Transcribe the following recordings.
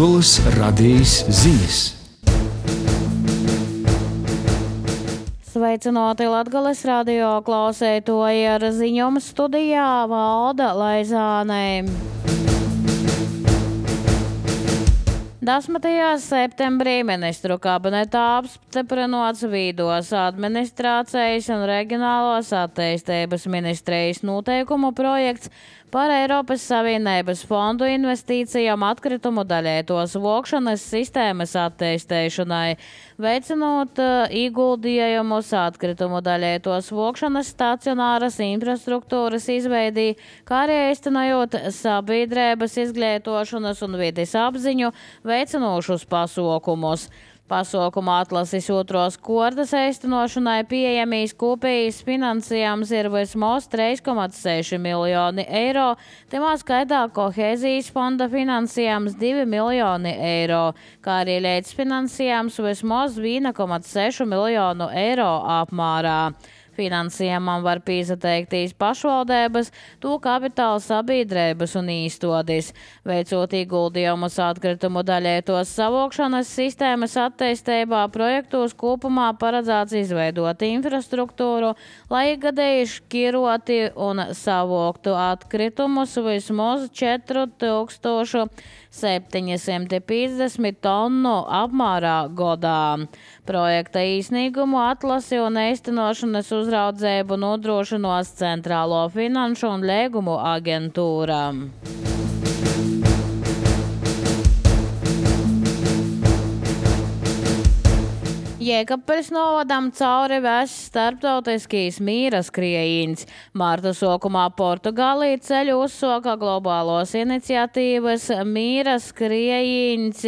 Latgoles radijas ziņas. Sveicināti Latgoles radio klausētoji, ar ziņojumu studijā Valda Laizāne. 10. septembrī ministru kabinetā apstiprināts Vidos administrācijas un reģionālos attīstības ministrijas noteikumu projekts par Eiropas Savienības fondu investīcijām atkritumu daļētos vokšanas sistēmas attīstīšanai, veicinot ieguldījumus atkritumu daļētos vokšanas stacionāras infrastruktūras izveidī, kā arī īstenojot sabiedrības izglītošanas un vides apziņu veicinošus pasākumus. Pasākuma atlases otros kārtas īstenošanai pieejamīs kopējais finansējums ir vismaz 3,6 miljoni eiro, tajā skaitā kohēzijas fonda finansējums 2 miljoni eiro, kā arī līdzfinansējums vismaz 1,6 miljonu eiro apmērā. Finansējumam var piesaistīt pašvaldības, to kapitāla sabiedrības un īstodis, veicot ieguldījumus atkritumu daļētos savokšanas sistēmas attīstībā. Projektos kopumā paredzēts izveidot infrastruktūru, lai ikgadēji šķiroti un savoktu atkritumus vismaz 4750 tonu apmērā gadā. Projekta īsnīgumu atlasi un īstenošanas uzraudzību nodrošinos Centrālo finanšu un līgumu aģentūra. Jēkabpeļs novadam cauri vēsts starptautiskīs mīra skrējiens. Marta sākumā Portugālī ceļu uzsoka globālos iniciatīvas mīra skrējiens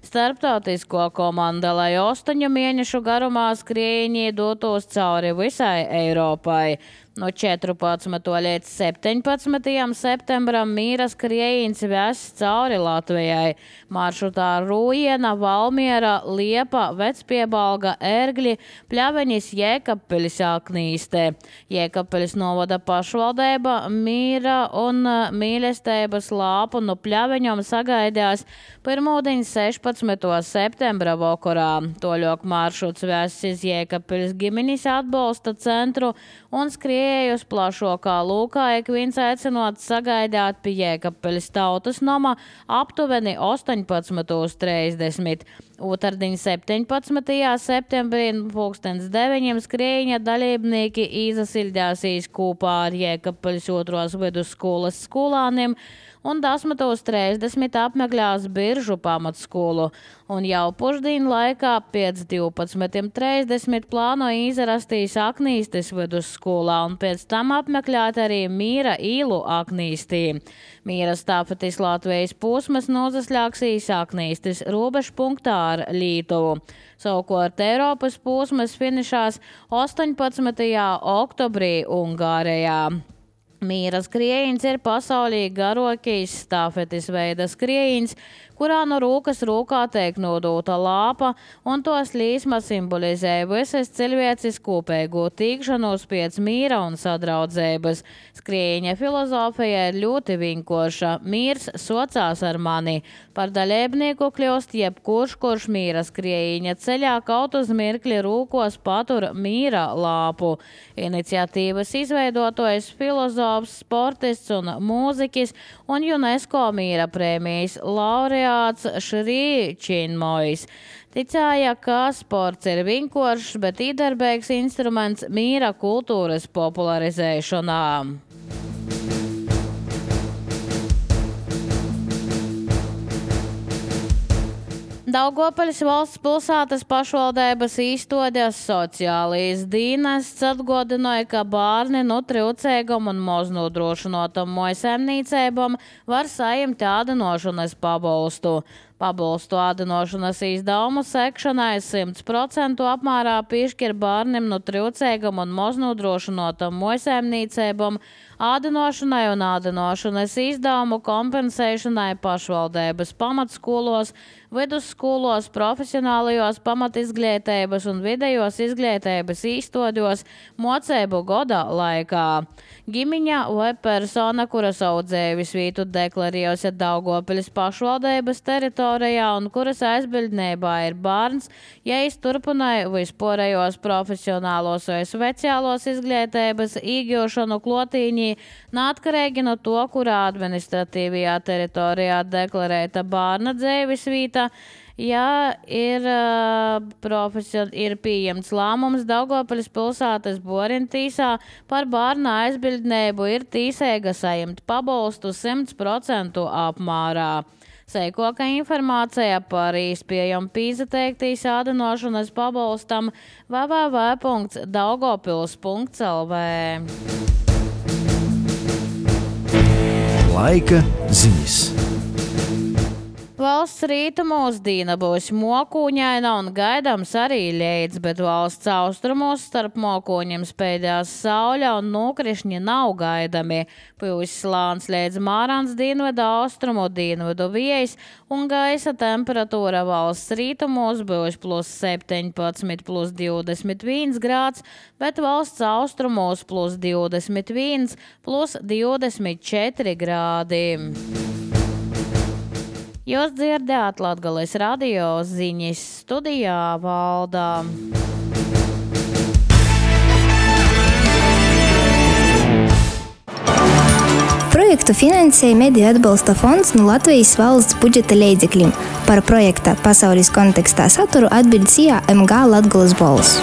starptautisko komanda, lai 8 mēnešu garumā skrējienī dotos cauri visai Eiropai. No 14. līdz 17. septembram mīra skrējiens vēsts cauri Latvijai. Maršrutā Rūjiena, Valmiera, Liepa, Vecpiebalga, Ērgļi, Pļaveņas, Jēkabpeļs, Aknīste. Jēkabpeļs novada pašvaldība mīra un mīlestības lāpu no Pļaveņom sagaidās pirmūdiņ 16. septembra vakarā. Toļok maršruts vēsts iz Jēkabpeļs ģimenes atbalsta centru un skriejus plašākā lūkā, ik viens aicinot sagaidāt pie Jēkabpeļs tautas nama aptuveni 18:30. Otrdiņ 17. septembrī 9:00 skrējiņa dalībnieki izasildāsīs kopā ar Jēkabpeļs otros vidusskolas skolāniem un 10:30 apmeklēs Biržu pamatskolu. Un jau pušdīnu laikā pēc 12:30 plāno izrastīs Aknīstes vidusskolā un pēc tam apmeklēt arī Mīra īlu Aknīstī. Mīra stāfetis Latvijas posmas nozaslēgsīs Aknīstes robežpunktā ar Lītuvu. Savukārt Eiropas posmas finišās 18. oktobrī Ungārijā. Mīra skrējiens ir pasaulī garākais stāfetis veida skrējiens, kurā no rūkas rūkā tiek nodota lāpa, un to slīsma simbolizē visas cilvēces kopējo tīkšanos pēc mīra un sadraudzības. Skrējiņa filozofija ir ļoti vienkārša. Mīrs socās ar mani. Par dalībnieku kļūst jebkurš, kurš mīra skrējiņa ceļā kaut uz mirkli rūkos patur mīra lāpu. Iniciatīvas izveidotājs filozofs, sportists un mūziķis un UNESCO mīra prēmijas laureāts Šrī Činmojs. Ticēja, ka sports ir vienkāršs, bet iedarbīgs instruments mīra kultūras popularizēšanā. Daugavpils valsts pilsētas pašvaldības īstoties sociālijas dienests atgādināja, ka bērni no trūcīgām un maznodrošinotam mājsaimniecībām var saņemt ēdinošanas pabalstu. Pabalstu ēdinošanas izdevumu sekšanai 100% apmērā piešķir bērniem no trūcīgām un maznodrošinotam mājsaimniecībām, ēdinošanai un ēdinošanas izdevumu kompensēšanai pašvaldības pamatskolos vidusskolos, profesionālajos pamatizglītības un vidējos izglītības īstodos mocību goda laikā. Gimiņa vai persona, kura savu dzīves vietu deklarējusi Daugopiļas pašvaldības teritorijā un kuras aizbildnībā ir bērns, ja turpināja vispārējos profesionālos vai speciālos izglītības īgūšanu klotīņī, neatkarīgi no to, kurā administratīvajā teritorijā deklarēta bērna dzīves vieta, ja ir pieņemts lēmums Daugopiļas pilsētas Borintīsā par bērna aizbildnību, ir tīsēga saņemt pabalstu 100% apmērā. Seikoka informācija par īspējam pīzateiktīs ādinošanas pabalstam www.daugopils.lv. Laika ziņas. Valsts rītumos dīna būs mokūņaina un gaidāms arī leits, bet valsts austrumos starp mokūņiem spēļās sauļa un nokrišņi nav gaidami. Pūs slāns līdz mārāns dienvidu austrumu dienvidu viejas un gaisa temperatūra valsts rītumos būs +17, +21 grāds, bet valsts austrumos +21, +24 grādi. Jūs dzirdējāt Latgales radio ziņas, studijā Valda. Projektu finansēja Mediju atbalsta fonds no Latvijas valsts budžeta līdzekļiem. Par projekta pasaules kontekstā saturu atbild CIA MG Latgales balss.